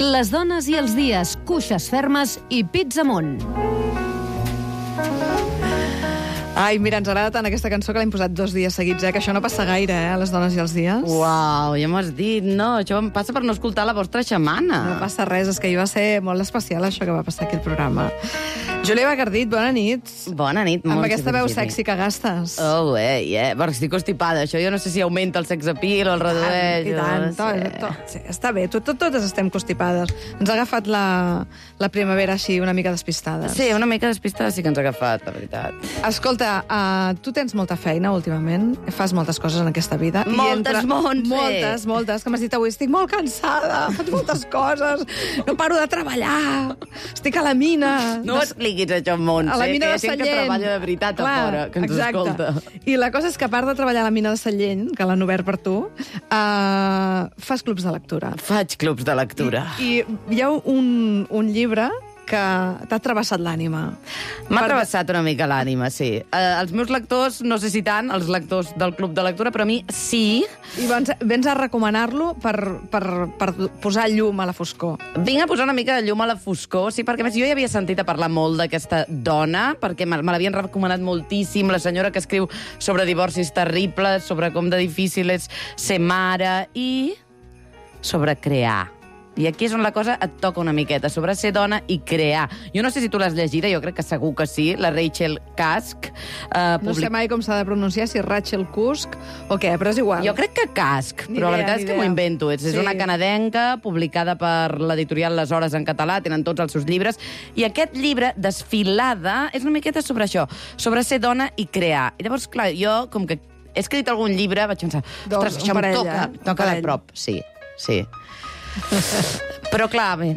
Les dones i els dies, cuixes fermes i pits amunt. Ai, mira, ens agrada tant aquesta cançó que l'hem posat dos dies seguits, eh? Que això no passa gaire, eh? A les dones i els dies. Uau, ja m'ho has dit, no? Això em passa per no escoltar la vostra xamana. No passa res, és que hi va ser molt especial això que va passar aquí al programa. Júlia Bacardit, bona nit. Bona nit, Amb Montse aquesta veu Virgili. sexy que gastes. Oh, eh, yeah. Perquè estic constipada. Això jo no sé si augmenta el sex appeal o el redueix. I tant, no tot, sé. tot, sí, està bé, tot, tot, totes estem constipades. Ens ha agafat la, la primavera així, una mica despistades. Sí, una mica despistada sí que ens ha agafat, la veritat. Escolta, uh, tu tens molta feina últimament, fas moltes coses en aquesta vida. i Moltes, Montse. Moltes, moltes, que m'has dit avui, estic molt cansada, faig moltes coses, no paro de treballar, estic a la mina. No ho expliquis, això, Montse, a la mina que hi de ha gent que Sallent. treballa de veritat Clar, a fora, que ens exacte. escolta. I la cosa és que, a part de treballar a la mina de Sallent, que l'han obert per tu, uh, fas clubs de lectura. Faig clubs de lectura. I, i hi ha un, un llibre que t'ha travessat l'ànima. M'ha Per- travessat una mica l'ànima, sí. Eh, els meus lectors, no sé si tant, els lectors del club de lectura, però a mi sí. I vens, vens a recomanar-lo per, per, per posar llum a la foscor. Vinc a posar una mica de llum a la foscor, sí, perquè a més jo ja havia sentit a parlar molt d'aquesta dona, perquè me, me l'havien recomanat moltíssim, la senyora que escriu sobre divorcis terribles, sobre com de difícil és ser mare i sobre crear. I aquí és on la cosa et toca una miqueta, sobre ser dona i crear. Jo no sé si tu l'has llegida, jo crec que segur que sí, la Rachel Cusk. Eh, No sé mai com s'ha de pronunciar, si Rachel Cusk o què, però és igual. Jo crec que Cusk, Ni però la idea, veritat ni és que idea. m'ho invento. És, és Sí. una canadenca publicada per l'editorial Les Hores en català, tenen tots els seus llibres, i aquest llibre, Desfilada, és una miqueta sobre això, sobre ser dona i crear. I llavors, clar, jo, com que he escrit algun llibre, vaig pensar, Doncs, ostres, un això em parell, toca, eh? Un toca de parell. prop. Sí, sí. Però, clar, bé,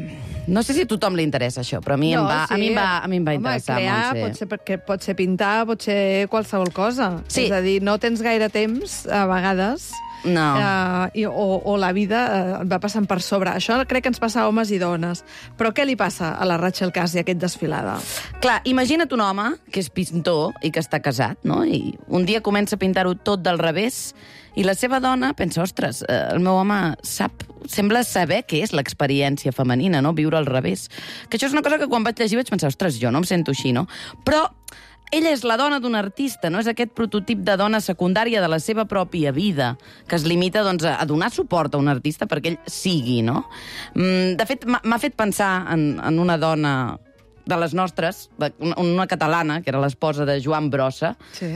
no sé si a tothom li interessa això, però a mi, em, va, a mi, em, va, a mi em va Home, interessar, crear Montse. pot ser, perquè pot ser pintar, pot ser qualsevol cosa. Sí. És a dir, no tens gaire temps, a vegades, No. eh, i, o, o la vida eh, et va passant per sobre. Això crec que ens passa a homes i dones. Però què li passa a la Rachel Cusk i a aquest desfilada? Clar, imagina't un home que és pintor i que està casat, no? I un dia comença a pintar-ho tot del revés i la seva dona pensa, ostres, eh, el meu home sap, sembla saber què és l'experiència femenina, no? Viure al revés. Que això és una cosa que quan vaig llegir vaig pensar, ostres, jo no em sento així, no? Però ella és la dona d'un artista, no? És aquest prototip de dona secundària de la seva pròpia vida, que es limita doncs, a donar suport a un artista perquè ell sigui, no? Mm, De fet, m'ha m'ha fet pensar en, en una dona de les nostres, de- una, una catalana, que era l'esposa de Joan Brossa. Sí.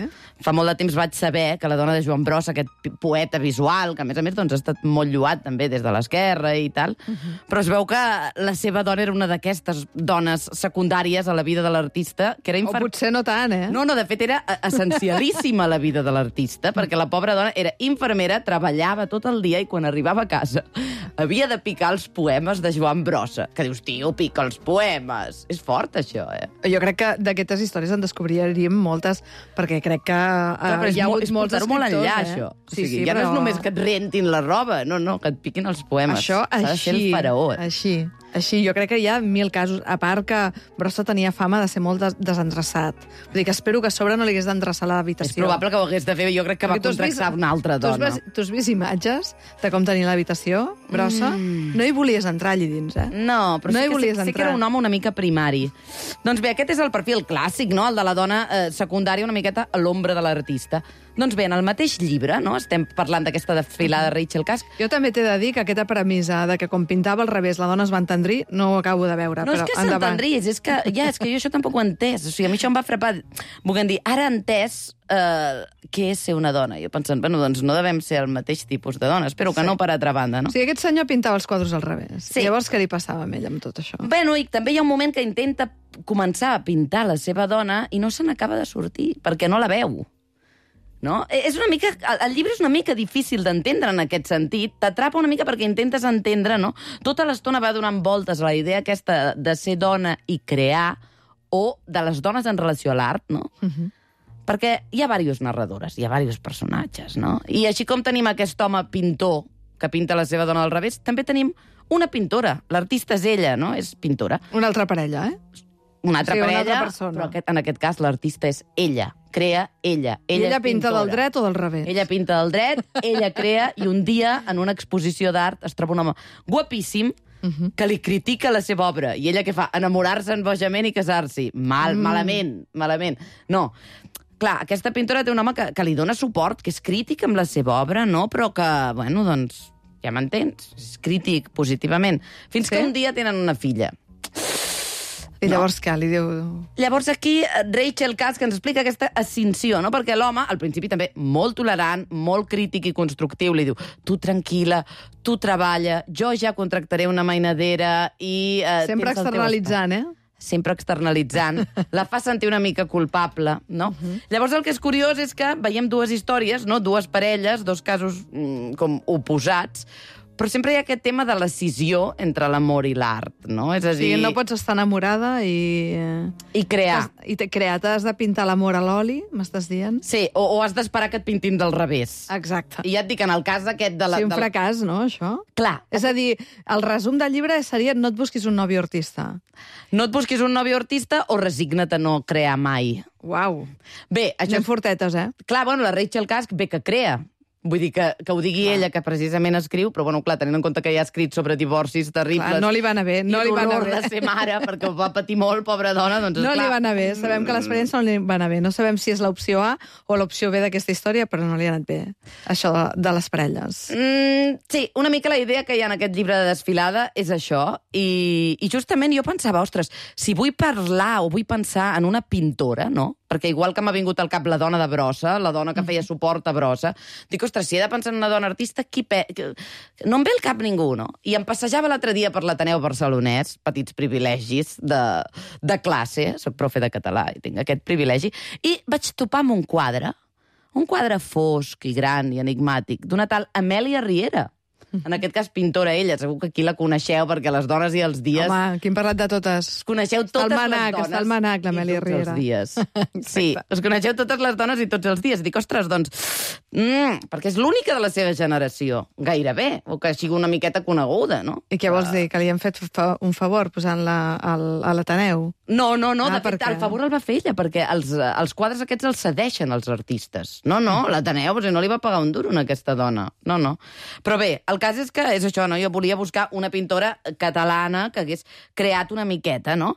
Fa molt de temps vaig saber que la dona de Joan Brossa, aquest pi- poeta visual, que a més a més doncs, ha estat molt lloat també des de l'esquerra i tal, uh -huh. però es veu que la seva dona era una d'aquestes dones secundàries a la vida de l'artista, que era O infer... potser no tant, eh? No, no, de fet era essencialíssima a la vida de l'artista, perquè la pobra dona era infermera, treballava tot el dia i quan arribava a casa havia de picar els poemes de Joan Brossa. Que dius, tio, pica els poemes. És fort, això, eh? Jo crec que d'aquestes històries en descobriríem moltes, perquè crec que uh, Clar, però és, hi ha molt, hagut és molts portar-ho molt escriptors, enllà, eh? això. O Sí, sigui, sí, ja però... no és només que et rentin la roba, no, no, que et piquin els poemes. Això S'ha de ser així, el faraó. així, així. Jo crec que hi ha mil casos. A part que Brossa tenia fama de ser molt des desendreçat. Vull dir que espero que a sobre no li hagués d'endreçar És l'habitació. probable que ho hagués de fer. Jo crec que va Perquè tu has contractar vist- una altra tu has dona. vist- Tu has vist imatges de com tenia l'habitació, Brossa? Mm. No hi volies entrar allà dins, eh? No, però No sí, hi que, volies sí, sí que entrar. era un home una mica primari. Doncs bé, aquest és el perfil clàssic, no?, el de la dona eh, secundària, una miqueta a l'ombra de l'artista. Doncs bé, en el mateix llibre, no?, estem parlant d'aquesta desfilada de Rachel Cusk. Jo també t'he de dir que aquesta premissa de que quan pintava al revés la dona es va entendrir, no ho acabo de veure. No és però que endavant. s'entendries, és que, ja, és que jo això tampoc ho he entès. O sigui, a mi això em va frapar. Volguem dir, ara he entès eh, què és ser una dona. Jo pensant, bueno, doncs no devem ser el mateix tipus de dona. Espero que Sí. no per altra banda, no? O sigui, aquest senyor pintava els quadres al revés. Sí. Llavors, què li passava amb ell amb tot això? Bueno, i també hi ha un moment que intenta començar a pintar la seva dona i no se n'acaba de sortir, perquè no la veu. No? És una mica, el- el llibre és una mica difícil d'entendre en aquest sentit. T'atrapa una mica perquè intentes entendre, no? Tota l'estona va donant voltes a la idea aquesta de ser dona i crear, o de les dones en relació a l'art, no? Uh -huh. Perquè hi ha diverses narradores, hi ha diversos personatges, no? I així com tenim aquest home pintor que pinta la seva dona al revés, també tenim una pintora. L'artista és ella, no? És pintora. Una altra parella, eh? Una altra Sí, una parella, altra persona. però aquest, en aquest cas l'artista és ella. Crea ella. I Ella, ella és pinta pintora. del dret o del revés? Ella pinta del dret, ella crea, i un dia, en una exposició d'art, es troba un home guapíssim que li critica la seva obra. I ella què fa? Enamorar-se bojament i casar-s'hi. Mal, mm. malament, malament. No. Clar, aquesta pintora té un home que, que li dona suport, que és crític amb la seva obra, no? Però que, bueno, doncs, ja m'entens? És crític positivament. Fins Sí? que un dia tenen una filla. I llavors què? Li diu... Llavors aquí eh, Rachel Cusk ens explica aquesta ascensió, no? Perquè l'home, al principi també molt tolerant, molt crític i constructiu, li diu, tu tranquil·la, tu treballa, jo ja contractaré una mainadera i... Eh, Sempre tens el teu externalitzant, eh? sempre externalitzant, la fa sentir una mica culpable, no? Uh -huh. Llavors el que és curiós és que veiem dues històries, no? Dues parelles, dos casos mm, com oposats, però sempre hi ha aquest tema de l'escissió entre l'amor i l'art, no? És a O dir... sigui, no pots estar enamorada i... eh, I crear. I t'he creat, has de pintar l'amor a l'oli, m'estàs dient? Sí, o, o has d'esperar que et pintin del revés. Exacte. I ja et dic, en el cas aquest de la... Sí, un de la- fracàs, no, això? Clar, És a dir, el resum del llibre seria no et busquis un nòvio artista. no et busquis un nòvio artista o resigna't a no crear mai. Uau. Bé, això... Anem fortetes, eh? Clar, bueno, la Rachel Cusk bé que crea, Vull dir que, que ho digui clar. Ella, que precisament escriu, però, bueno, clar, tenint en compte que ja ha escrit sobre divorcis terribles... Clar, no li va anar bé, no li va anar bé. I l'horror de ser mare, perquè ho va patir molt, pobra dona, doncs, no clar... li va anar bé, sabem que l'experiència no li va anar bé. No sabem si és l'opció A o l'opció B d'aquesta història, però no li ha anat bé, això de, de les parelles. Mm, sí, una mica la idea que hi ha en aquest llibre de Desfilada és això, i, i justament jo pensava, ostres, si vull parlar o vull pensar en una pintora, no?, perquè igual que m'ha vingut al cap la dona de Brossa, la dona que feia suport a Brossa, dic, ostres, si he de pensar en una dona artista, qui pe... no em ve al cap ningú, no? I em passejava l'altre dia per l'Ateneu Barcelonès, petits privilegis de, de classe, soc profe de català i tinc aquest privilegi, i vaig topar amb un quadre, un quadre fosc i gran i enigmàtic, d'una tal Amèlia Riera. En aquest cas, pintora ella, segur que aquí la coneixeu, perquè les dones i els dies... Home, aquí hem parlat de totes. Coneixeu totes manac, les dones. Està al manac, l'Amèlia Riera. I tots els dies. Sí, us coneixeu totes les dones i tots els dies. Dic, ostres, doncs... Mm, perquè és l'única de la seva generació, gairebé, o que sigui una miqueta coneguda, no? I què vols dir? Que li han fet fa un favor posant-la al, a l'Ateneu? No, no, no, ah, de fet, el favor el va fer ella, perquè els, els quadres aquests els cedeixen els artistes. No, no, l'Ateneu, o sigui, no li va pagar un duro a aquesta dona. No, no. Però bé, el cas és que és això, no? Jo volia buscar una pintora catalana que hagués creat una miqueta, no?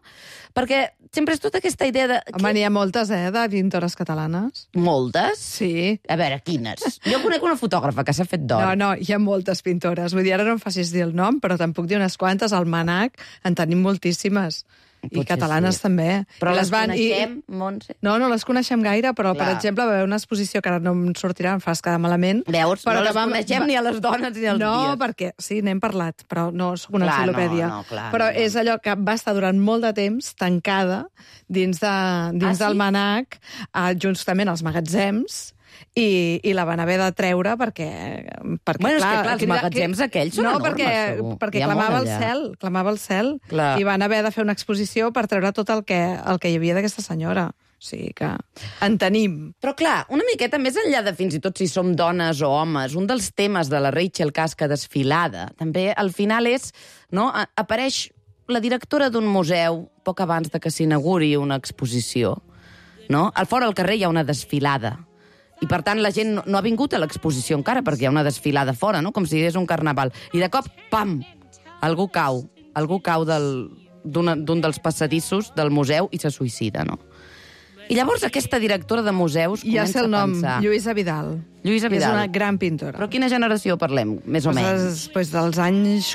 Perquè sempre és tota aquesta idea de... Home, n'hi ha moltes, eh, de pintores catalanes. Moltes? Sí. A veure, quines? Jo conec una fotògrafa que s'ha fet d'or. No, no, hi ha moltes pintores. Vull dir, ara no em facis dir el nom, però te'n puc dir unes quantes. Al Manac en tenim moltíssimes. I Potser catalanes sí. també. Però I les van, coneixem, i... Montse? No, no les coneixem gaire, però, Clar. per exemple, va haver una exposició que ara no em sortirà, em fas quedar malament. Veus? Però no les vam... coneixem ni a les dones ni als no, dies. No, perquè sí, n'hem parlat, però no sóc una Clar, enciclopèdia. no, no, clar, però no, no. és allò que va estar durant molt de temps tancada dins, de, dins Ah, del sí? Manac, eh, justament als magatzems, i, i la van haver de treure perquè... perquè Bueno, és clar, que, clar, els crida- magatzems aquells són no, enormes, perquè, segur. perquè Hi ha clamava molt el allà. cel, clamava el cel, Clar. i van haver de fer una exposició per treure tot el que, el que hi havia d'aquesta senyora. O sigui que en tenim. Però clar, una miqueta més enllà de fins i tot si som dones o homes, un dels temes de la Rachel Casca Desfilada, també al final és, no, a- apareix la directora d'un museu poc abans de que s'inauguri una exposició, no? Al fora al carrer hi ha una desfilada. I, per tant, la gent no, no ha vingut a l'exposició encara, perquè hi ha una desfilada fora, no? Com si hi hagués un carnaval. I de cop, pam, algú cau. Algú cau del- d'un d'un dels passadissos del museu i se suïcida, no? I llavors aquesta directora de museus Ja comença sé el a nom, pensar... Lluïsa Vidal. Lluïsa Que Vidal. és una gran pintora. Però quina generació parlem, més o pues, menys? és, pues, dels anys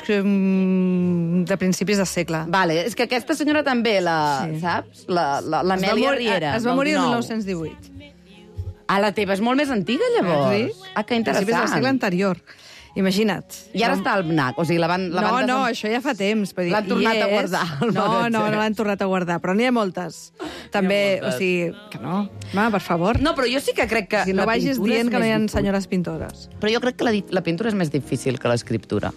mm, de principis de segle. Vale, és que aquesta senyora també, la, Sí. saps? La, la, Es va l'Amèlia mor- Riera. Es va del morir el dinou. mil nou-cents divuit. Ah, la teva és molt més antiga, llavors. Sí? Ah, que Principis del segle interessant. anterior. Imagina't. I ara està al N A C, o sigui, la van... La No, van no, desen- això ja fa temps. vull dir, L'han hi tornat a és. guardar, al No, magatzem. no, no l'han tornat a guardar, però n'hi ha moltes. També, o sigui, que no. Home, per favor. No, però jo sí que crec que... si no la vagis pintura és dient que no hi ha més difícil. senyores pintores. Però jo crec que la, di- la pintura és més difícil que l'escriptura.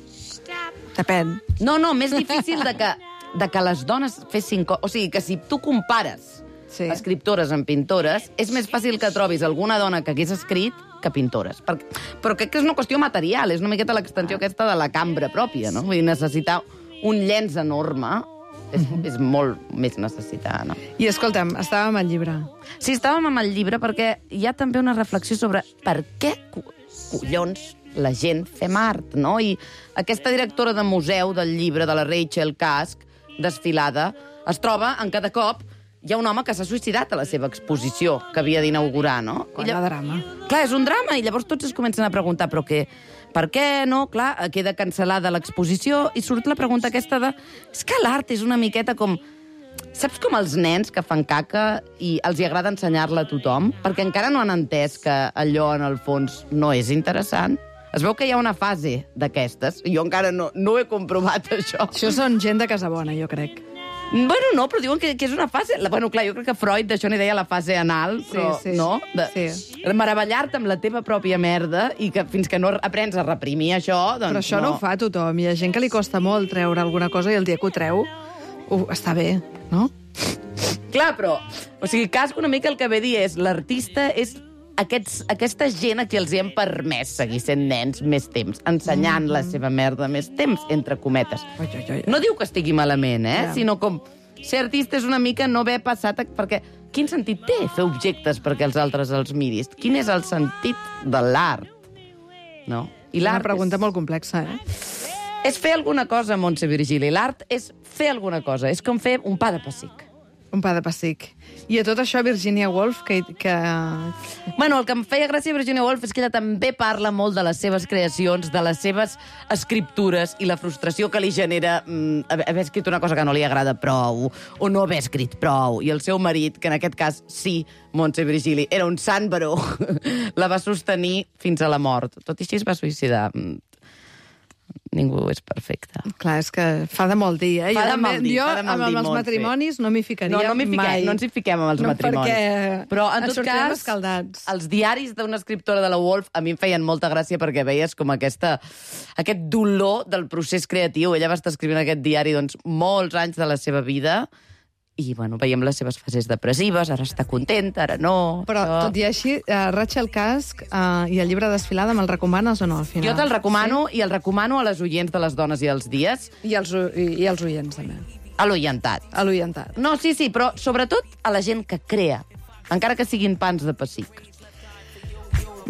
Depèn. No, no, més difícil de que, de que les dones fessin... Co o sigui, que si tu compares Sí. escriptores amb pintores, és més fàcil que trobis alguna dona que hagués escrit que pintores. Per, però crec que és una qüestió material, és una miqueta l'extensió aquesta de la cambra pròpia, no? Vull dir, necessitar un llenç enorme és, és molt més necessitar, no? I escolta'm, estàvem al llibre. Sí, estàvem amb el llibre perquè hi ha també una reflexió sobre per què co- collons la gent fem art, no? I aquesta directora de museu del llibre de la Rachel Casc, Desfilada, es troba en cada cop hi ha un home que s'ha suïcidat a la seva exposició que havia d'inaugurar, no? Quan I lla- hi ha drama. Clar, és un drama, i llavors tots es comencen a preguntar però què, per què no? Clar, queda cancel·lada l'exposició i surt la pregunta aquesta de... És que l'art és una miqueta com... Saps com els nens que fan caca i els hi agrada ensenyar-la a tothom? Perquè encara no han entès que allò, en el fons, no és interessant. Es veu que hi ha una fase d'aquestes. Jo encara no, no he comprovat això. Això són gent de casa bona, jo crec. Bueno, no, però diuen que, que és una fase... La, bueno, clar, jo crec que Freud d'això n'hi deia la fase anal, però Sí, sí. no? De, Sí. Meravellar-te amb la teva pròpia merda i que fins que no aprens a reprimir això, doncs Però això no. no ho fa tothom. Hi ha gent que li costa molt treure alguna cosa i el dia que ho treu, uh, està bé, no? Clar, però... O sigui, Casco una mica el que ve a dir és l'artista és aquests, aquesta gent a qui els hi hem permès seguir sent nens més temps, ensenyant mm. la seva merda més temps, entre cometes. Oi, oi, oi. No diu que estigui malament, eh? Ja. Sinó com ser artista és una mica no haver passat... A... Perquè quin sentit té fer objectes perquè els altres els miris? Quin és el sentit de l'art? no? I És una l'art pregunta molt complexa, eh? és fer alguna cosa, Montse Virgili. L'art és fer alguna cosa. És com fer un pa de pessic. Un pa de pessic. I a tot això, Virginia Woolf, que... que... Bueno, el que em feia gràcia a Virginia Woolf és que ella també parla molt de les seves creacions, de les seves escriptures i la frustració que li genera mm, haver escrit una cosa que no li agrada prou o no haver escrit prou. I el seu marit, que en aquest cas sí, Montse Virgili, era un sant baró, la va sostenir fins a la mort. Tot i així es va suïcidar. Ningú és perfecte. Clar, és que fa de molt dir, eh? Fa de jo mal dir, jo, fa de mal amb, dir, amb els Montse. matrimonis no m'hi ficaria No, no m'hi fiquem, mai. no ens hi fiquem amb els no, matrimonis. Perquè Però, en ens tot sortirem cas, escaldats. els diaris d'una escriptora de la Woolf a mi em feien molta gràcia perquè veies com aquesta, aquest dolor del procés creatiu. Ella va estar escrivint aquest diari doncs, molts anys de la seva vida i, bueno, veiem les seves fases depressives, ara està contenta, ara no... Però, tot i així, uh, Rachel Kask uh, i el llibre Desfilada me'l recomanes o no, al final? Jo te'l recomano sí? i el recomano a les oients de les dones i els dies. I als, i, i als oients, també. A l'oientat. A l'oientat. No, sí, sí, però sobretot a la gent que crea, encara que siguin pans de pessic.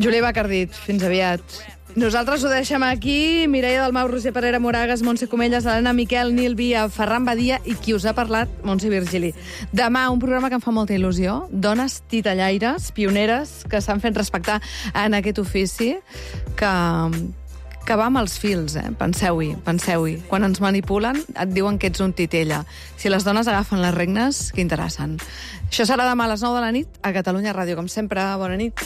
Júlia Bacardit, fins aviat. Nosaltres ho deixem aquí. Mireia Dalmau, Roser Parera Moragas, Montse Comelles, Helena Miquel, Nil Via, Ferran Badia i qui us ha parlat, Montse Virgili. Demà, un programa que em fa molta il·lusió. Dones titellaires, pioneres, que s'han fet respectar en aquest ofici, que... que va amb els fils, eh? Penseu-hi, penseu-hi. Quan ens manipulen, et diuen que ets un titella. Si les dones agafen les regnes, que interessen. Això serà demà a les nou de la nit a Catalunya Ràdio. Com sempre, bona nit.